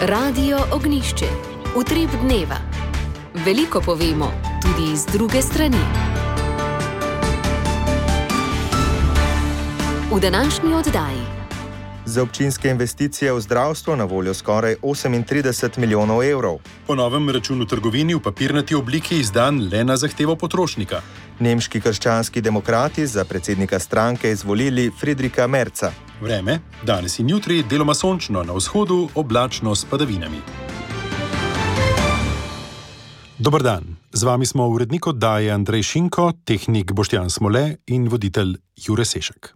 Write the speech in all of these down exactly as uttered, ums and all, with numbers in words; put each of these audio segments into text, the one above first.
Radio Ognjišče. Utrip dneva. Veliko povemo, tudi iz druge strani. V današnji oddaji. Za občinske investicije v zdravstvo na voljo skoraj osemintrideset milijonov evrov. Po novem račun v trgovini v papirnati obliki izdan le na zahtevo potrošnika. Nemški krščanski demokrati za predsednika stranke izvolili Friedricha Merza. Vreme, danes in jutri deloma sončno, na vzhodu oblačno s padavinami. Dober dan, z vami smo urednik oddaje Andrej Šinko, tehnik Boštjan Smole in voditelj Jure Sešek.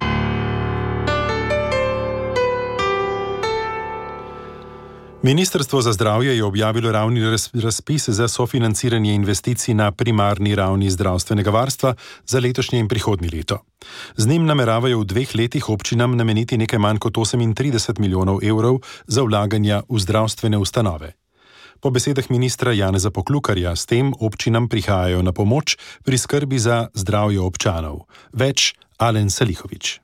Ministrstvo za zdravje je objavilo ravni razpis za sofinanciranje investicij na primarni ravni zdravstvenega varstva za letošnje in prihodnje leto. Z njim nameravajo v dveh letih občinam nameniti nekaj manj kot osemintrideset milijonov evrov za vlaganja v zdravstvene ustanove. Po besedah ministra Janeza Poklukarja s tem občinam prihajajo na pomoč pri skrbi za zdravje občanov. Več Alen Salihović.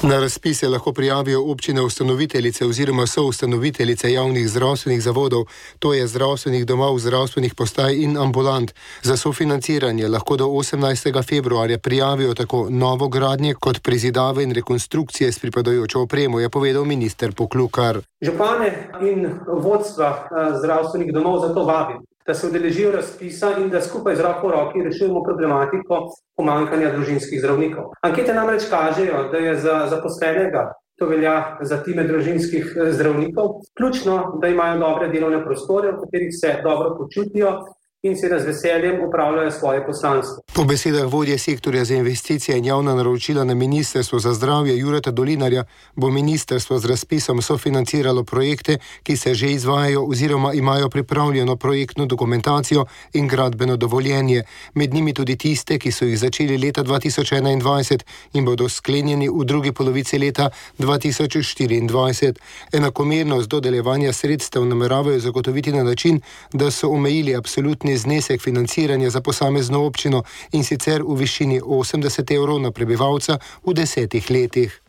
Na razpis se lahko prijavijo občine ustanoviteljice oziroma soustanoviteljice javnih zdravstvenih zavodov, to je zdravstvenih domov, zdravstvenih postaj in ambulant. Za sofinanciranje lahko do osemnajstega februarja prijavijo tako novogradnje kot prezidave in rekonstrukcije s pripadajočo opremo, je povedal minister Poklukar. Župane in vodstva zdravstvenih domov zato vabim, da se udeležijo razpisa in da skupaj z roko v roki rešujemo problematiko pomanjkanja družinskih zdravnikov. Ankete namreč kažejo, da je za zaposlenega, to velja za time družinskih zdravnikov, ključno, da imajo dobre delovne prostore, v katerih se dobro počutijo in se z veseljem upravljajo svoje poslanstvo. Po besedah vodje sektorja za investicije in javna naročila na Ministrstvo za zdravje Jureta Dolinarja bo ministrstvo z razpisom sofinanciralo projekte, ki se že izvajajo oziroma imajo pripravljeno projektno dokumentacijo in gradbeno dovoljenje, med njimi tudi tiste, ki so jih začeli leta dva tisoč enaindvajset in bodo sklenjeni v drugi polovici leta dva tisoč štiriindvajset. Enakomernost dodeljevanja sredstev nameravajo zagotoviti na način, da so omejili absolutni znesek financiranja za posamezno občino in sicer v višini osemdeset evrov na prebivalca v desetih letih.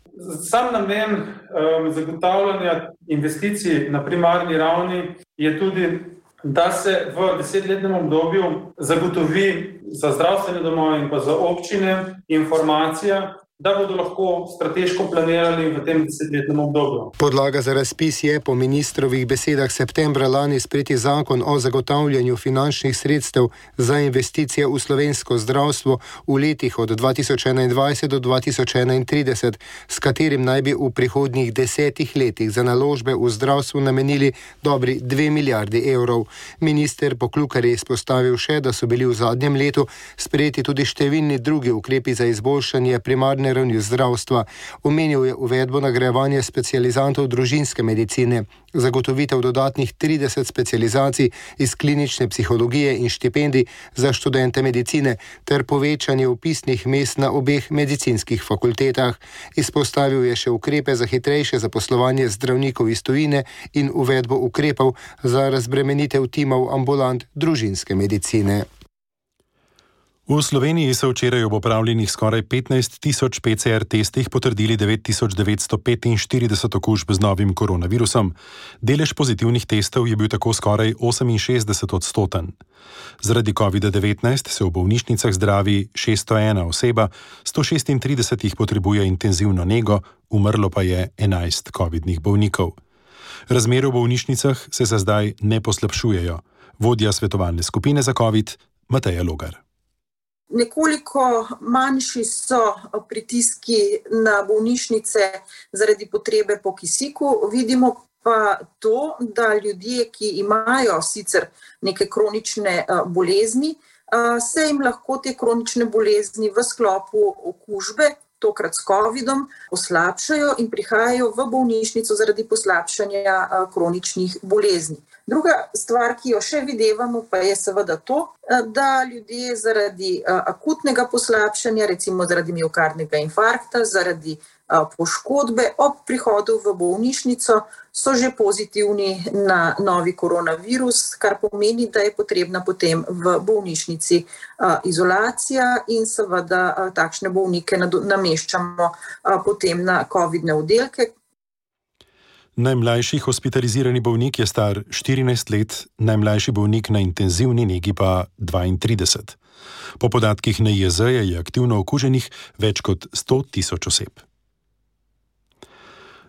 Sam namen um, zagotavljanja investicij na primarni ravni je tudi, da se v desetletnem obdobju zagotovi za zdravstvene domove in pa za občine informacija, da bodo lahko strateško planirali v tem desetletnem obdobju. Podlaga za razpis je po ministrovih besedah septembra lani sprejeti zakon o zagotavljanju finančnih sredstev za investicije v slovensko zdravstvo v letih od dva tisoč enaindvajset do dva tisoč enaintrideset, s katerim naj bi v prihodnjih desetih letih za naložbe v zdravstvu namenili dobri dve milijardi evrov. Minister Poklukar je izpostavil še, da so bili v zadnjem letu sprejeti tudi številni drugi ukrepi za izboljšanje primarne ravni zdravstva. Omenil je uvedbo nagrajevanja specializantov družinske medicine, zagotovitev dodatnih trideset specializacij iz klinične psihologije in štipendij za študente medicine ter povečanje vpisnih mest na obeh medicinskih fakultetah. Izpostavil je še ukrepe za hitrejše zaposlovanje zdravnikov iz tujine in uvedbo ukrepov za razbremenitev timov ambulant družinske medicine. V Sloveniji so včeraj ob opravljenih skoraj petnajst tisoč P C R testih potrdili devet tisoč devetsto petinštirideset okužb z novim koronavirusom. Delež pozitivnih testov je bil tako skoraj oseminšestdeset odstoten. Zaradi covida devetnajst se v bolnišnicah zdravi šeststo ena oseba, sto šestintrideset jih potrebuje intenzivno nego, umrlo pa je enajst covidnih bolnikov. Razmere v bolnišnicah se za zdaj ne poslabšujejo. Vodja svetovalne skupine za covid Mateja Logar. Nekoliko manjši so pritiski na bolnišnice zaradi potrebe po kisiku. Vidimo pa to, da ljudje, ki imajo sicer neke kronične bolezni, se jim lahko te kronične bolezni v sklopu okužbe, tokrat s covidom, poslabšajo in prihajajo v bolnišnico zaradi poslabšanja kroničnih bolezni. Druga stvar, ki jo še videvamo, pa je seveda to, da ljudje zaradi akutnega poslabšanja, recimo zaradi miokardnega infarkta, zaradi poškodbe ob prihodu v bolnišnico, so že pozitivni na novi koronavirus, kar pomeni, da je potrebna potem v bolnišnici izolacija in seveda takšne bolnike nameščamo potem na covidne oddelke. Najmlajši hospitalizirani bolnik je star štirinajst let, najmlajši bolnik na intenzivni negi pa dvaintrideset. Po podatkih N I Z je aktivno okuženih več kot sto tisoč oseb.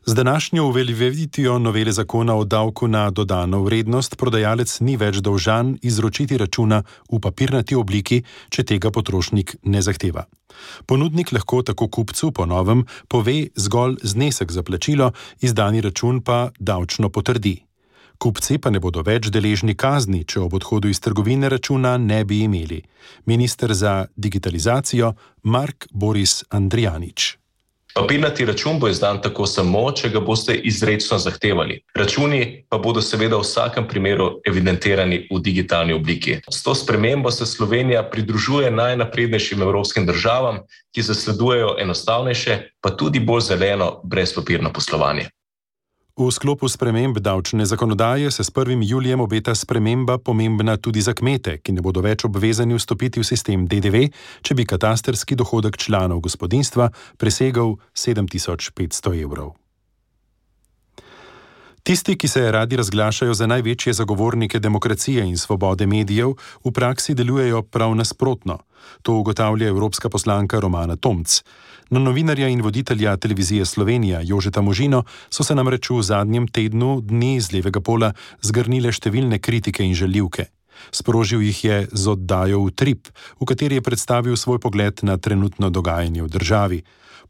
Z današnjo uveljavitvijo novele zakona o davku na dodano vrednost prodajalec ni več dolžan izročiti računa v papirnati obliki, če tega potrošnik ne zahteva. Ponudnik lahko tako kupcu po novem pove zgolj znesek za plačilo, izdani račun pa davčno potrdi. Kupci pa ne bodo več deležni kazni, če ob odhodu iz trgovine računa ne bi imeli. Minister za digitalizacijo Mark Boris Andrijanič. Papirnati račun bo izdan tako samo, če ga boste izrecno zahtevali. Računi pa bodo seveda v vsakem primeru evidentirani v digitalni obliki. S to spremembo se Slovenija pridružuje najnaprednejšim evropskim državam, ki zasledujejo enostavnejše, pa tudi bolj zeleno, brezpapirno poslovanje. V sklopu sprememb davčne zakonodaje se s prvim julijem obeta sprememba pomembna tudi za kmete, ki ne bodo več obvezani vstopiti v sistem D D V, če bi katastrski dohodek članov gospodinjstva presegal sedem tisoč petsto evrov. Tisti, ki se radi razglašajo za največje zagovornike demokracije in svobode medijev, v praksi delujejo prav nasprotno. To ugotavlja evropska poslanka Romana Tomc. Na novinarja in voditelja televizije Slovenija Jožeta Možino so se namreč v zadnjem tednu dni z levega pola zgrnile številne kritike in žaljivke. Sprožil jih je z oddajo Utrip, v kateri je predstavil svoj pogled na trenutno dogajanje v državi.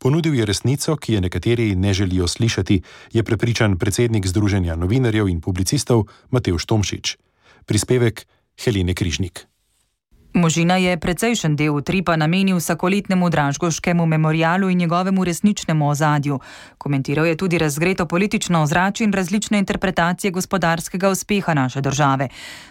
Ponudil je resnico, ki je nekateri ne želijo slišati, je prepričan predsednik Združenja novinarjev in publicistov Matevž Tomšič. Prispevek Helene Križnik. Možina je precejšen del Utripa namenil vsakoletnemu Dražgoškemu memorialu in njegovemu resničnemu ozadju. Komentiral je tudi razgreto politično ozračje in različne interpretacije gospodarskega uspeha naše države.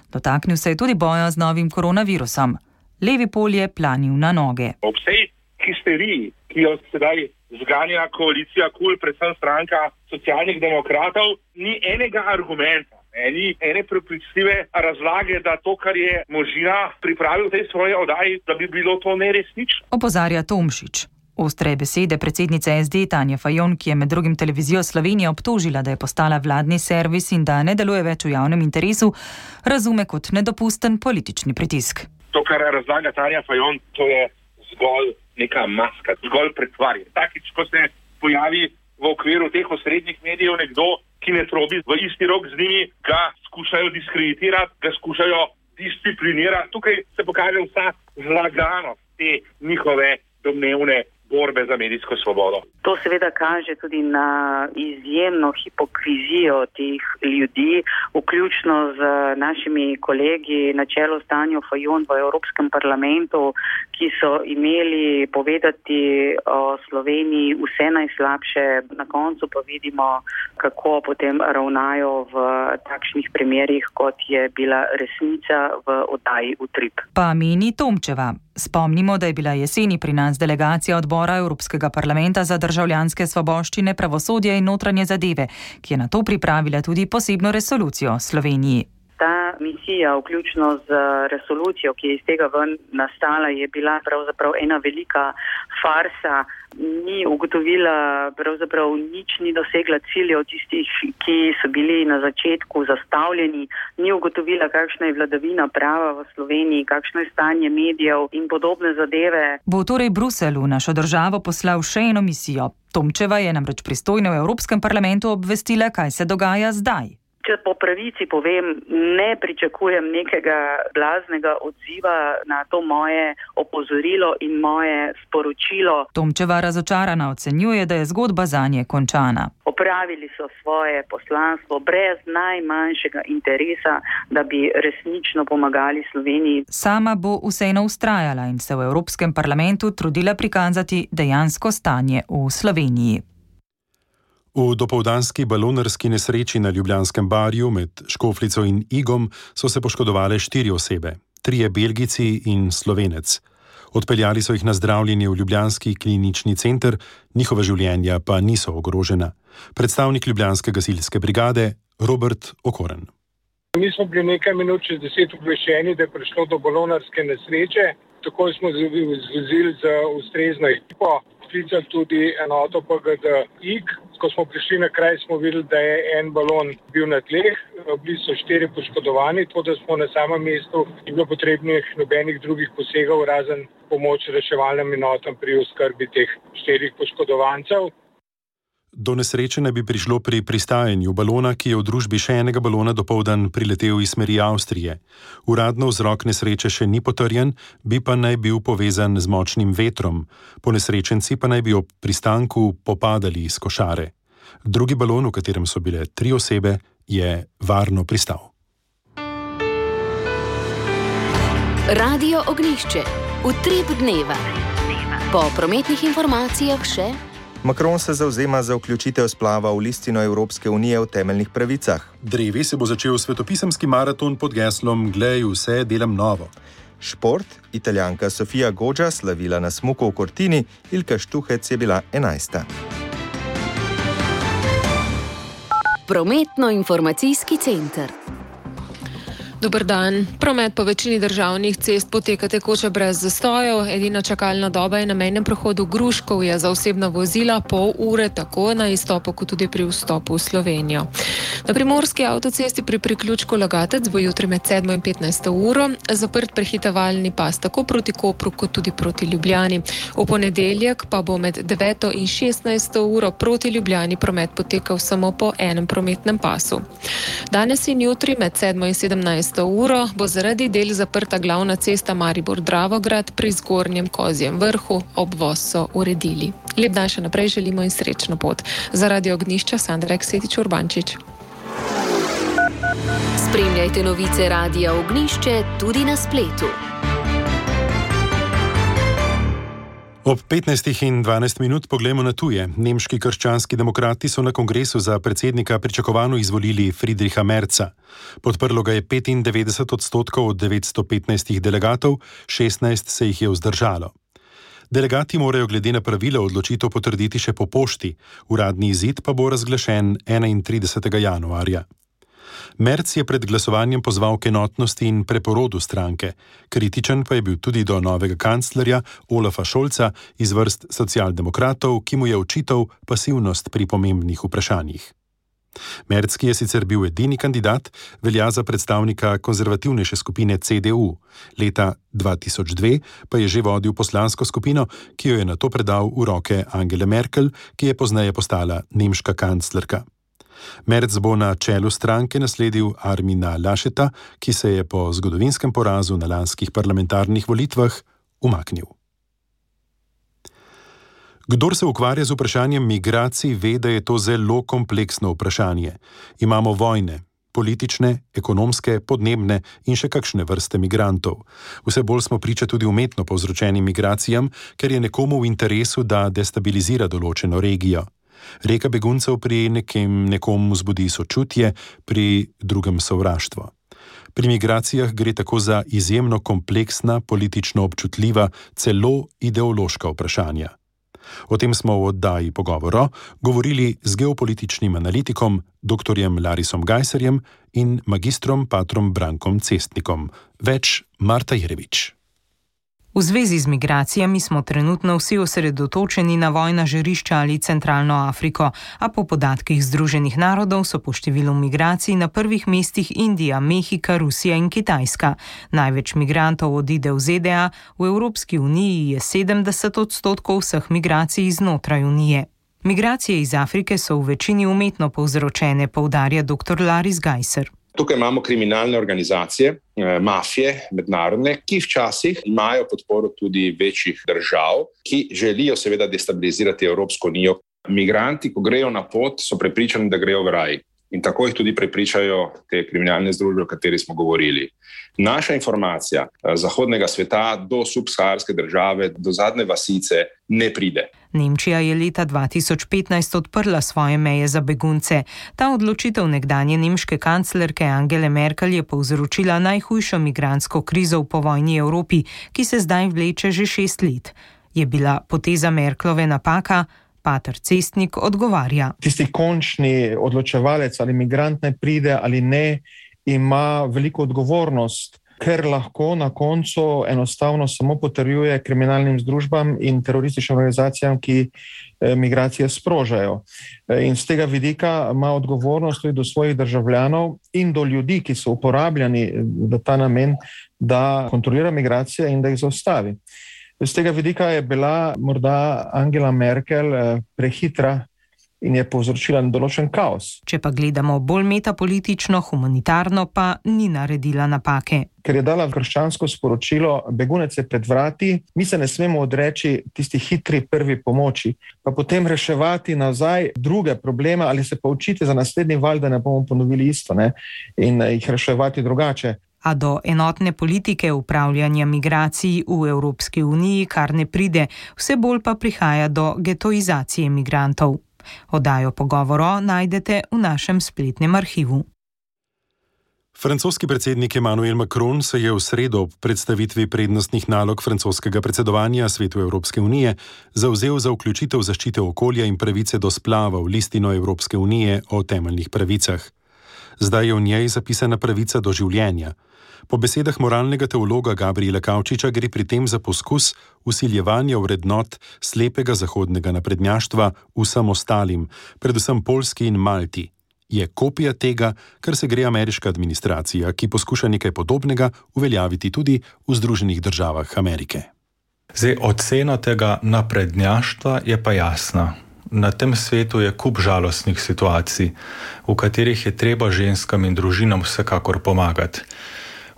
Dotaknil se je tudi boja z novim koronavirusom. Levi pol je planil na noge. Ob vsej histeriji, ki jo sedaj zganja koalicija KUL, predvsem stranka socialnih demokratov, ni enega argumenta. Eni, ene prepričljive razlage, da to, kar je Možina pripravil v tej svoji oddaji, da bi bilo to neresnično. Opozarja Tomšič. Ostre besede predsednice S D Tanje Fajon, ki je med drugim televizijo Slovenija obtožila, da je postala vladni servis in da ne deluje več v javnem interesu, razume kot nedopusten politični pritisk. To, kar razlaga Tanja Fajon, to je zgolj neka maska, zgolj pretvarje. Takič, ko se pojavi v okviru teh osrednjih medijev nekdo, ki ne trobi v isti rok z njimi, ga skušajo diskreditirati, ga skušajo disciplinirati. Tukaj se pokaže vsa zlaganost te njihove domnevne borbe za medijsko svobodo. To seveda kaže tudi na izjemno hipokrizijo teh ljudi, vključno z našimi kolegi na čelu s Tanjo Fajon v Evropskem parlamentu, ki so imeli povedati o Sloveniji vse najslabše. Na koncu pa vidimo, kako potem ravnajo v takšnih primerih, kot je bila resnica v oddaji Utrip. Pa meni Tomčeva. Spomnimo, da je bila jeseni pri nas delegacija odbora Evropskega parlamenta za državljanske svoboščine, pravosodje in notranje zadeve, ki je na to pripravila tudi posebno resolucijo Sloveniji. Ta misija, vključno z resolucijo, ki je iz tega ven nastala, je bila pravzaprav ena velika farsa. Ni ugotovila, pravzaprav nič ni dosegla ciljev tistih, ki so bili na začetku zastavljeni. Ni ugotovila, kakšna je vladavina prava v Sloveniji, kakšno je stanje medijev in podobne zadeve. Bo torej Bruselj v našo državo poslal še eno misijo. Tomčeva je namreč pristojna v Evropskem parlamentu obvestila, kaj se dogaja zdaj. Če po pravici povem, ne pričakujem nekega blaznega odziva na to moje opozorilo in moje sporočilo. Tomčeva razočarana ocenjuje, da je zgodba zanje končana. Opravili so svoje poslanstvo brez najmanjšega interesa, da bi resnično pomagali Sloveniji. Sama bo vseeno vztrajala in se v Evropskem parlamentu trudila prikazati dejansko stanje v Sloveniji. V dopoldanski balonarski nesreči na Ljubljanskem barju med Škofljico in Igom so se poškodovale štiri osebe, trije Belgijci in Slovenec. Odpeljali so jih na zdravljenje v Ljubljanski klinični center, njihova življenja pa niso ogrožena. Predstavnik Ljubljanske gasilske brigade Robert Okoren. Mi smo bili nekaj minut čez deset obveščeni, da je prišlo do balonarske nesreče. Takoj smo zvozili za ustrezno ekipo. sklicali tudi enoto P G D I K. Ko smo prišli na kraj, smo videli, da je en balon bil na tleh, bili so štiri poškodovani, tako da smo na samem mestu ni bilo potrebnih nobenih drugih posegov, razen pomoč reševalnim enotam pri oskrbi teh štirih poškodovancev. Do nesreče naj bi prišlo pri pristajanju balona, ki je v družbi še enega balona dopoldan priletel iz smeri Avstrije. Uradno vzrok nesreče še ni potrjen, bi pa naj bil povezan z močnim vetrom. Ponesrečenci pa naj bi ob pristanku popadali iz košare. Drugi balon, v katerem so bile tri osebe, je varno pristal. Radio Ognjišče. Utrip dneva. Po prometnih informacijah še... Macron se zavzema za vključitev splava v listino Evropske unije o temeljnih pravicah. Drevi se bo začel svetopisemski maraton pod geslom Glej, vse delam novo. Šport, Italijanka Sofia Goggia slavila na smuku v Cortini, Ilka Štuhec je bila enajsta. Prometno-informacijski center. Dober dan. Promet po večini državnih cest poteka tekoče brez zastojev. Edina čakalna doba je na mejnem prehodu Gruškovje za osebna vozila pol ure, tako na izstopu kot tudi pri vstopu v Slovenijo. Na primorski avtocesti pri priključku Logatec bo jutri med sedmo in petnajsto uro zaprt prehitevalni pas tako proti Kopru kot tudi proti Ljubljani. V ponedeljek pa bo med deveto in šestnajsto uro proti Ljubljani promet potekal samo po enem prometnem pasu. Danes in jutri med sedmo in sedemnajsto uro bo zaradi del zaprta glavna cesta Maribor-Dravograd pri Zgornjem Kozjem vrhu, obvoz so uredili. Lep dan še naprej želimo in srečno pot. Za Radio Ognjišča Sandra Eksetič-Urbančič. Spremljajte novice Radia Ognjišče tudi na spletu. Ob petnajstih in dvanajst minut poglejmo na tuje. Nemški krščanski demokrati so na kongresu za predsednika pričakovano izvolili Friedricha Merza. Podprlo ga je petindevetdeset odstotkov od devetsto petnajstih delegatov, šestnajst se jih je vzdržalo. Delegati morajo glede na pravila odločitev potrditi še po pošti, uradni izid pa bo razglašen enaintridesetega januarja. Merz je pred glasovanjem pozval k enotnosti in preporodu stranke. Kritičen pa je bil tudi do novega kanclerja Olafa Scholza iz vrst socialdemokratov, ki mu je očital pasivnost pri pomembnih vprašanjih. Merz, ki je sicer bil edini kandidat, velja za predstavnika konzervativnejše skupine C D U. Leta dva tisoč dve pa je že vodil poslansko skupino, ki jo je nato predal v roke Angele Merkel, ki je pozneje postala nemška kanclerka. Merz bo na čelu stranke nasledil Armina Lascheta, ki se je po zgodovinskem porazu na lanskih parlamentarnih volitvah umaknil. Kdor se ukvarja z vprašanjem migracij, ve, da je to zelo kompleksno vprašanje. Imamo vojne, politične, ekonomske, podnebne in še kakšne vrste migrantov. Vse bolj smo priča tudi umetno povzročenim migracijam, ker je nekomu v interesu, da destabilizira določeno regijo. Reka beguncev pri nekem, nekom vzbudi sočutje, pri drugem sovraštvo. Pri migracijah gre tako za izjemno kompleksna, politično občutljiva, celo ideološka vprašanja. O tem smo v oddaji Pogovoro govorili z geopolitičnim analitikom doktorjem Larisom Gajserjem in magistrom patrom Brankom Cestnikom. Več Marta Jerevič. V zvezi z migracijami smo trenutno vsi osredotočeni na vojna žarišča ali centralno Afriko, a po podatkih Združenih narodov so po številu migracij na prvih mestih Indija, Mehika, Rusija in Kitajska. Največ migrantov odide v Z D A, v Evropski uniji je sedemdeset odstotkov vseh migracij znotraj unije. Migracije iz Afrike so v večini umetno povzročene, poudarja doktor Laris Gajser. Tukaj imamo kriminalne organizacije, mafije, mednarodne, ki včasih imajo podporo tudi večjih držav, ki želijo seveda destabilizirati Evropsko unijo. Migranti, ko grejo na pot, so prepričani, da grejo v raj. In tako jih tudi prepričajo te kriminalne združbe, o kateri smo govorili. Naša informacija zahodnega sveta do subsaharske države, do zadnje vasice ne pride. Nemčija je leta dva tisoč petnajst odprla svoje meje za begunce. Ta odločitev nekdanje nemške kanclerke Angele Merkel je povzročila najhujšo migrantsko krizo v povojni Evropi, ki se zdaj vleče že šest let. Je bila poteza Merklove napaka? Pater Cestnik odgovarja. Tisti končni odločevalec, ali migrant naj pride ali ne, ima veliko odgovornost ker lahko na koncu enostavno samo potrjuje kriminalnim združbam in terorističnim organizacijam, ki migracije sprožajo. In z tega vidika ima odgovornost tudi do svojih državljanov in do ljudi, ki so uporabljani v ta namen, da kontrolira migracije in da jih zaustavi. Z tega vidika je bila morda Angela Merkel prehitra in je povzročila določen kaos. Če pa gledamo bolj metapolitično, humanitarno, pa ni naredila napake. Ker je dala krščansko sporočilo, begunec je pred vrati, mi se ne smemo odreči tisti hitri prvi pomoči, pa potem reševati nazaj druge probleme ali se pa učiti za naslednji val, da ne bomo ponovili isto, ne? In jih reševati drugače. A do enotne politike upravljanja migracij v Evropski uniji kar ne pride, vse bolj pa prihaja do getoizacije migrantov. Oddajo Pogovoro najdete v našem spletnem arhivu. Francoski predsednik Emmanuel Macron se je v sredo ob predstavitvi prednostnih nalog francoskega predsedovanja Svetu Evropske unije zavzel za vključitev zaščite okolja in pravice do splava v listino Evropske unije o temeljnih pravicah. Zdaj je v njej zapisana pravica do življenja. Po besedah moralnega teologa Gabriela Kavčiča gre pri tem za poskus vsiljevanja vrednot slepega zahodnega naprednjaštva vsem ostalim, predvsem Poljski in Malti. Je kopija tega, kar se gre ameriška administracija, ki poskuša nekaj podobnega uveljaviti tudi v Združenih državah Amerike. Zdaj, ocena tega naprednjaštva je pa jasna. Na tem svetu je kup žalostnih situacij, v katerih je treba ženskam in družinam vsekakor pomagati.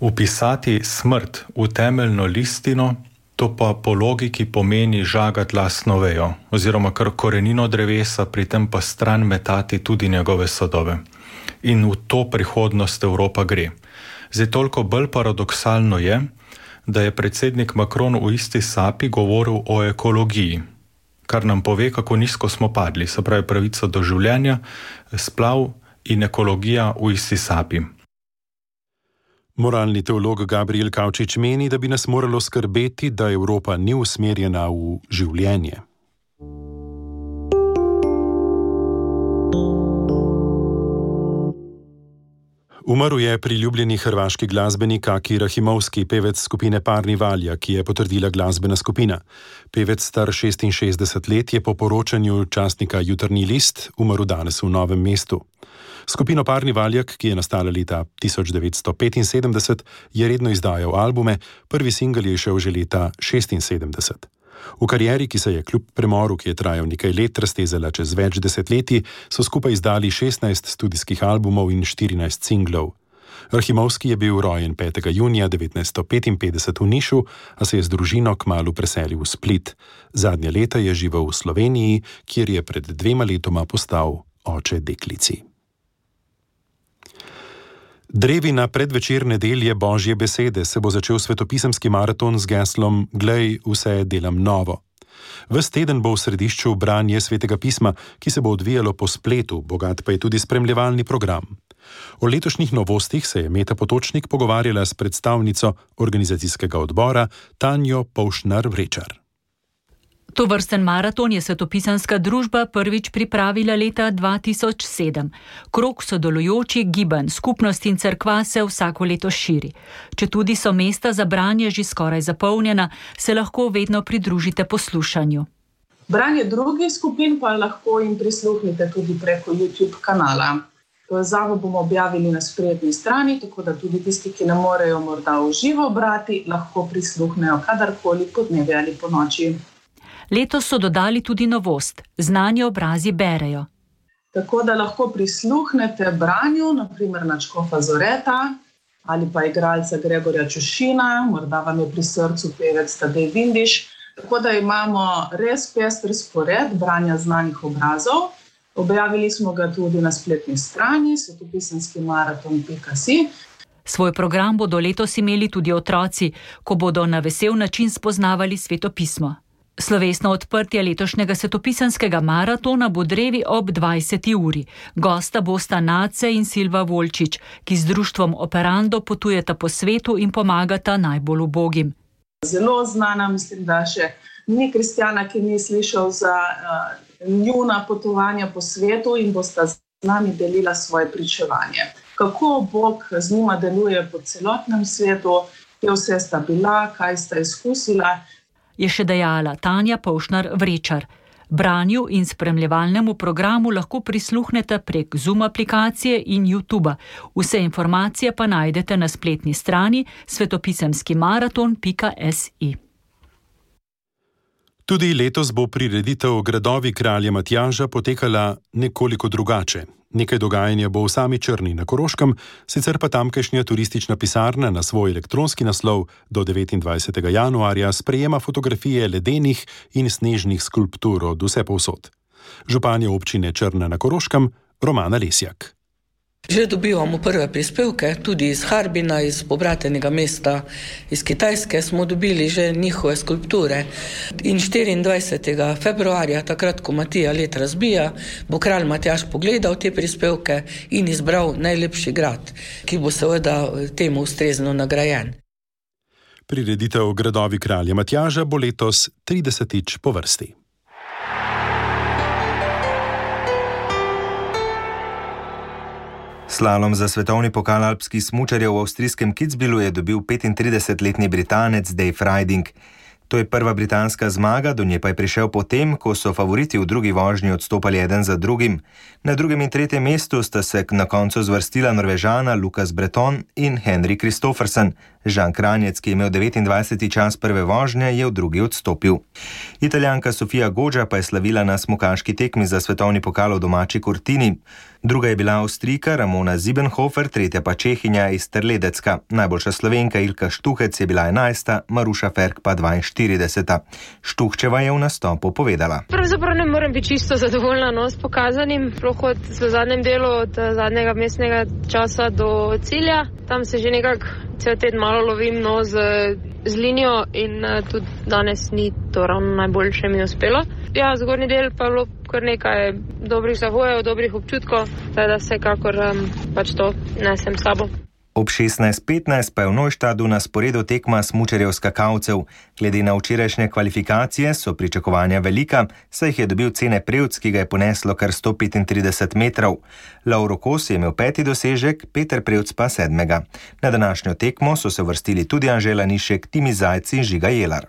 Upisati smrt v temeljno listino, to pa po logiki pomeni žagati lastno vejo, oziroma kar korenino drevesa, pri tem pa stran metati tudi njegove sadove. In v to prihodnost Evropa gre. Zdaj, toliko bolj paradoksalno je, da je predsednik Macron v isti sapi govoril o ekologiji, kar nam pove, kako nizko smo padli, se pravi pravica do življenja, splav in ekologija v isti sapi. Moralni teolog Gabriel Kavčič meni, da bi nas moralo skrbeti, da Evropa ni usmerjena v življenje. Umrl je priljubljeni hrvaški glasbenik Aki Rahimovski, pevec skupine Parni Valja, ki je potrdila glasbena skupina. Pevec star šestinšestdeset let je po poročanju časnika Jutarnji list umrl danes v Novem mestu. Skupino Parni Valjak, ki je nastala leta tisoč devetsto petinsedemdeset, je redno izdajal albume, prvi singel je šel že leta šestinsedemdeset. V karieri, ki se je kljub premoru, ki je trajal nekaj let, raztezala čez več desetletij, so skupaj izdali šestnajst studijskih albumov in štirinajst singlov. Rahimovski je bil rojen petega junija devetnajststo petinpetdeset v Nišu, a se je z družino kmalu preselil v Split. Zadnja leta je živel v Sloveniji, kjer je pred dvema letoma postal oče deklici. Drevi na predvečer nedelje Božje besede se bo začel svetopisemski maraton z geslom Glej, vse delam novo. Ves teden bo v središču branje svetega pisma, ki se bo odvijalo po spletu, bogat pa je tudi spremljevalni program. O letošnjih novostih se je Meta Potočnik pogovarjala s predstavnico organizacijskega odbora Tanjo Povšnar-Vrečar. Tovrsten maraton je svetopisanska družba prvič pripravila leta dva tisoč sedem. Krog sodelujočih gibanj, skupnosti in cerkva se vsako leto širi. Četudi so mesta za branje že skoraj zapolnjena, se lahko vedno pridružite poslušanju. Branje drugih skupin pa lahko jim prisluhnite tudi preko YouTube kanala. Povezavo bomo objavili na spletni strani, tako da tudi tisti, ki ne morejo morda v živo brati, lahko prisluhnejo kadarkoli po dnevi ali po noči. Letos so dodali tudi novost, znani obrazi berejo. Tako da lahko prisluhnete branju, naprimer nadškofa Zoreta ali pa igralca Gregorja Čušina, morda vam je pri srcu pevec Tadej Vindiš. Tako da imamo res pester spored branja znanih obrazov. Objavili smo ga tudi na spletni strani svetopisemski maraton pika si. Svoj program bodo letos imeli tudi otroci, ko bodo na vesel način spoznavali svetopismo. Slovesno odprtje letošnjega svetopisanskega maratona bo drevi ob dvajseti uri. Gosta bosta Nace in Silva Volčič, ki z društvom Operando potujeta po svetu in pomagata najbolj ubogim. Zelo znana, mislim, da še ni kristjana, ki ni slišal za uh, njuna potovanja po svetu in bosta z nami delila svoje pričevanje. kako Bog z njima deluje po celotnem svetu, kje vse sta bila, kaj sta izkusila. Je še dejala Tanja Povšnar-Vrečar. Branju in spremljevalnemu programu lahko prisluhnete prek Zoom aplikacije in YouTuba. Vse informacije pa najdete na spletni strani svetopisemski maraton pika si. Tudi letos bo prireditev Gradovi kralja Matjaža potekala nekoliko drugače. Nekaj dogajanja bo v sami Črni na Koroškem, sicer pa tamkajšnja turistična pisarna na svoj elektronski naslov do devetindvajsetega januarja sprejema fotografije ledenih in snežnih skulptur od vsepovsod. Županja občine Črna na Koroškem, Romana Lesjak. Že dobivamo prve prispevke, tudi iz Harbina, iz pobratenega mesta, iz Kitajske smo dobili že njihove skulpture. In štiriindvajsetega februarja, takrat, ko Matija let razbija, bo kralj Matjaž pogledal te prispevke in izbral najlepši grad, ki bo seveda temu ustrezno nagrajen. Prireditev Gradovi kralja Matjaža bo letos tridesetič po vrsti. Slalom za svetovni pokal alpskih smučarjev v avstrijskem Kitzbühelu je dobil petintridesetletni Britanec Dave Riding. To je prva britanska zmaga, do nje pa je prišel potem, ko so favoriti v drugi vožnji odstopali eden za drugim. Na drugem in tretjem mestu sta se na koncu zvrstila Norvežana Lukas Breton in Henrik Kristoffersen. Žan Kranjec, ki je imel devetindvajseti čas prve vožnje, je v drugi odstopil. Italijanka Sofia Goggia pa je slavila na smukaški tekmi za svetovni pokal v domači Cortini. Druga je bila Avstrijka Ramona Siebenhofer, tretja pa Čehinja iz Terledecka. Najboljša Slovenka Ilka Štuhec je bila enajsta, Maruša Ferk pa dvainštirideseta. Štuhčeva je v nastopu povedala. Pravzaprav ne morem biti čisto zadovoljna no, s pokazanim, sploh od v zadnjem delu, od zadnjega mestnega časa do cilja. Tam se že nekako cel teden malo lovim no, z, z linijo in uh, tudi danes ni to ravno najboljše mi uspelo. Ja, zgornji del pa je bilo kar nekaj dobrih zahojev, dobrih občutkov, da vsekakor um, pač to nesem s sabo. Ob šestnajst petnajst pa je v Neuštadu na sporedu tekma smučarjev skakalcev. Glede na včerajšnje kvalifikacije so pričakovanja velika, saj jih je dobil Cene Prevc, ki ga je poneslo kar sto petintrideset metrov. Lauro Kos je imel peti dosežek, Peter Prevc pa sedmega. Na današnjo tekmo so se vrstili tudi Anžela Nišek, Timi Zajc in Žiga Jelar.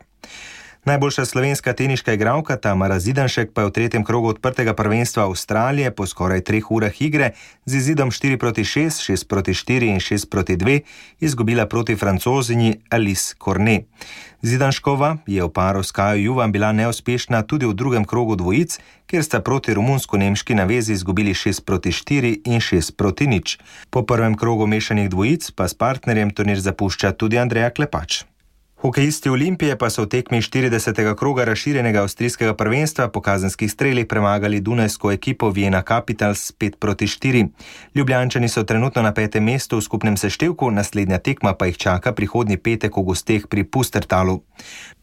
Najboljša slovenska teniška igralka Tamara Zidanšek pa je v tretjem krogu odprtega prvenstva Avstralije po skoraj treh urah igre z izidom štiri proti šest, šest proti štiri in šest proti dve izgubila proti Francozinji Alice Cornet. Zidanškova je v paru s Kajo Juvan bila neuspešna tudi v drugem krogu dvojic, kjer sta proti romunsko-nemški navezi izgubili šest proti štiri in šest proti nič. Po prvem krogu mešanih dvojic pa s partnerjem turnir zapušča tudi Andreja Klepač. Hokejisti Olimpije pa so v tekmi štiridesetega kroga razširjenega avstrijskega prvenstva po kazenskih strelih premagali dunajsko ekipo Vienna Capitals pet proti štiri. Ljubljančani so trenutno na petem mestu v skupnem seštevku, naslednja tekma pa jih čaka prihodnji petek v gosteh pri Pustertalu.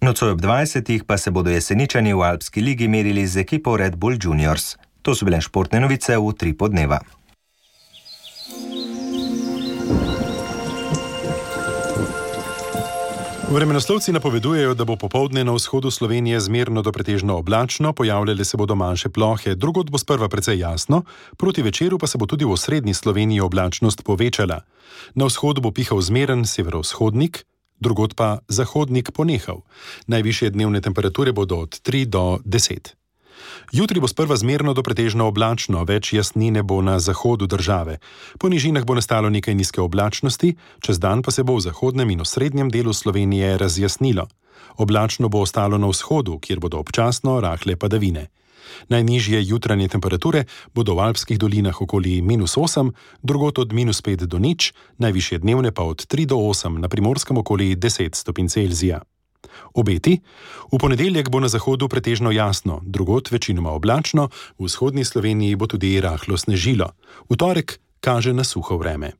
Nocoj ob dvajsetih pa se bodo Jeseničani v Alpski ligi merili z ekipo Red Bull Juniors. To so bile športne novice v tri podneva. Vremenoslovci napovedujejo, da bo popoldne na vzhodu Slovenije zmerno do pretežno oblačno, pojavljale se bodo manjše plohe, drugod bo sprva precej jasno, proti večeru pa se bo tudi v osrednji Sloveniji oblačnost povečala. Na vzhodu bo pihal zmeren severovzhodnik, drugod pa zahodnik ponehal. Najvišje dnevne temperature bodo od tri do deset. Jutri bo sprva zmerno do pretežno oblačno, več jasnine bo na zahodu države. Po nižinah bo nastalo nekaj nizke oblačnosti, čez dan pa se bo v zahodnem in osrednjem delu Slovenije razjasnilo. Oblačno bo ostalo na vzhodu, kjer bodo občasno rahle padavine. Najnižje jutranje temperature bodo v alpskih dolinah okoli minus osem, drugot od minus pet do nič, najvišje dnevne pa od tri do osem, na Primorskem okoli deset stopinj Celzija. Obeti: v ponedeljek bo na zahodu pretežno jasno, drugot večinoma oblačno, v vzhodni Sloveniji bo tudi rahlo snežilo. V torek kaže na suho vreme.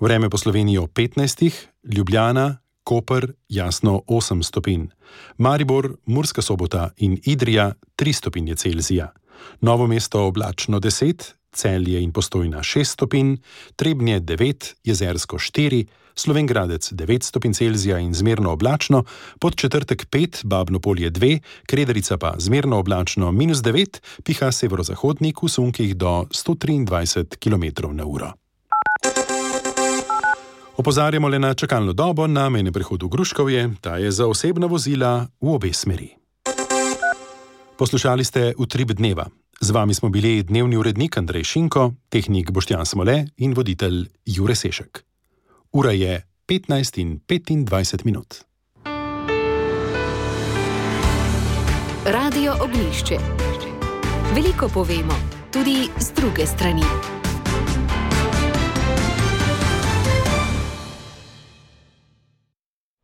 Vreme po Sloveniji ob petnajstih, Ljubljana, Koper, jasno osem stopinj, Maribor, Murska Sobota in Idrija tri stopinje Celzija, Novo mesto oblačno deset, Celje in Postojna šest stopinj, Trebnje devet, Jezersko štiri, Slovenj Gradec devet stopinj Celzija in zmerno oblačno, Podčetrtek pet, Babno Polje dve, Kredarica pa zmerno oblačno minus devet, piha severozahodnik v sunkih do sto triindvajset kilometrov na uro. Opozarjamo le na čakalno dobo na mejnem prehodu Gruškovje, ta je za osebna vozila v obe smeri. Poslušali ste Utrip dneva. Z vami smo bili dnevni urednik Andrej Šinko, tehnik Boštjan Smole in voditelj Jure Sešek. Ura je petnajst in petindvajset minut. Radio Oglišče. Veliko povemo, tudi z druge strani.